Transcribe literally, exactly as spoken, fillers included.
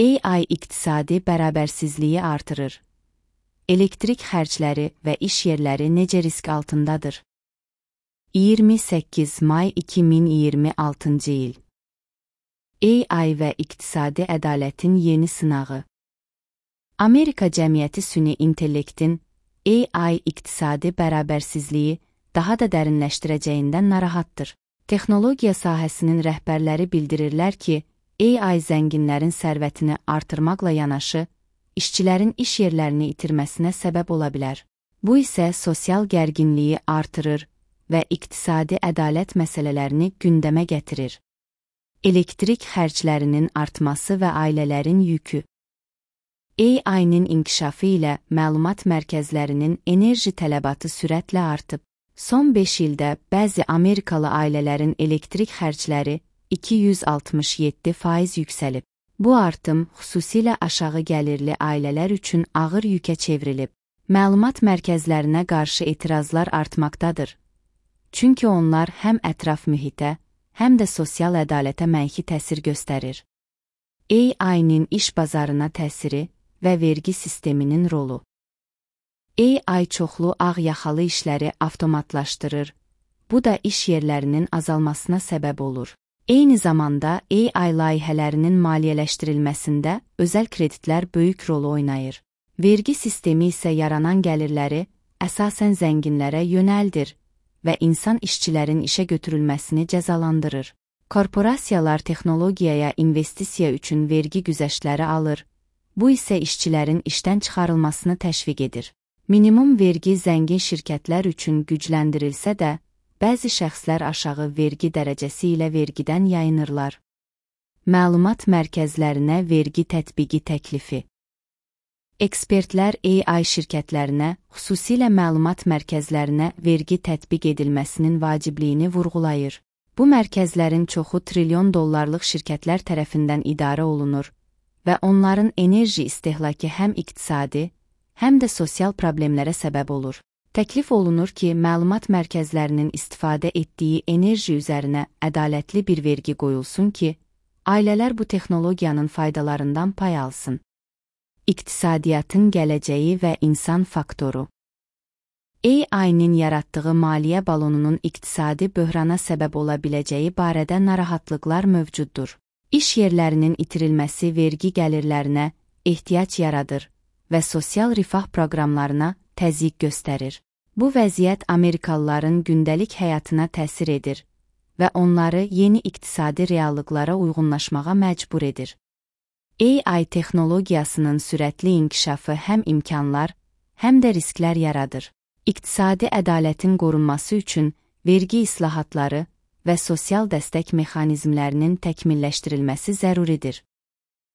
A I iqtisadi bərabərsizliyi artırır. Elektrik xərcləri və iş yerləri necə risk altındadır? iyirmi səkkiz may iki min iyirmi altıncı il. A I və iqtisadi ədalətin yeni sınağı. Amerika cəmiyyəti süni intellektin A I iqtisadi bərabərsizliyi daha da dərinləşdirəcəyindən narahatdır. Texnologiya sahəsinin rəhbərləri bildirirlər ki, A I zənginlərin sərvətini artırmaqla yanaşı, işçilərin iş yerlərini itirməsinə səbəb ola bilər. Bu isə sosial gərginliyi artırır və iqtisadi ədalət məsələlərini gündəmə gətirir. Elektrik xərclərinin artması və ailələrin yükü. A I-nin inkişafı ilə məlumat mərkəzlərinin enerji tələbatı sürətlə artıb. Son beş ildə bəzi Amerikalı ailələrin elektrik xərcləri iki yüz altmış yeddi faiz yüksəlib. Bu artım xüsusilə aşağı gəlirli ailələr üçün ağır yükə çevrilib. Məlumat mərkəzlərinə qarşı etirazlar artmaqdadır. Çünki onlar həm ətraf mühitə, həm də sosial ədalətə mənfi təsir göstərir. A I-nin iş bazarına təsiri və vergi sisteminin rolu. A I çoxlu ağ yaxalı işləri avtomatlaşdırır. Bu da iş yerlərinin azalmasına səbəb olur. Eyni zamanda A I layihələrinin maliyyələşdirilməsində özəl kreditlər böyük rol oynayır. Vergi sistemi isə yaranan gəlirləri əsasən zənginlərə yönəldir və insan işçilərin işə götürülməsini cəzalandırır. Korporasiyalar texnologiyaya investisiya üçün vergi güzəştləri alır. Bu isə işçilərin işdən çıxarılmasını təşviq edir. Minimum vergi zəngin şirkətlər üçün gücləndirilsə də, bəzi şəxslər aşağı vergi dərəcəsi ilə vergidən yayınırlar. Məlumat mərkəzlərinə vergi tətbiqi təklifi. Ekspertlər A I şirkətlərinə, xüsusilə məlumat mərkəzlərinə vergi tətbiq edilməsinin vacibliyini vurğulayır. Bu mərkəzlərin çoxu trilyon dollarlıq şirkətlər tərəfindən idarə olunur və onların enerji istehlakı həm iqtisadi, həm də sosial problemlərə səbəb olur. Təklif olunur ki, məlumat mərkəzlərinin istifadə etdiyi enerji üzərinə ədalətli bir vergi qoyulsun ki, ailələr bu texnologiyanın faydalarından pay alsın. İqtisadiyyatın gələcəyi və insan faktoru. A I-nin yaratdığı maliyyə balonunun iqtisadi böhrana səbəb ola biləcəyi barədə narahatlıqlar mövcuddur. İş yerlərinin itirilməsi vergi gəlirlərinə ehtiyac yaradır və sosial rifah proqramlarına təzyiq göstərir. Bu vəziyyət Amerikalıların gündəlik həyatına təsir edir və onları yeni iqtisadi reallıqlara uyğunlaşmağa məcbur edir. A I texnologiyasının sürətli inkişafı həm imkanlar, həm də risklər yaradır. İqtisadi ədalətin qorunması üçün vergi islahatları və sosial dəstək mexanizmlərinin təkmilləşdirilməsi zəruridir.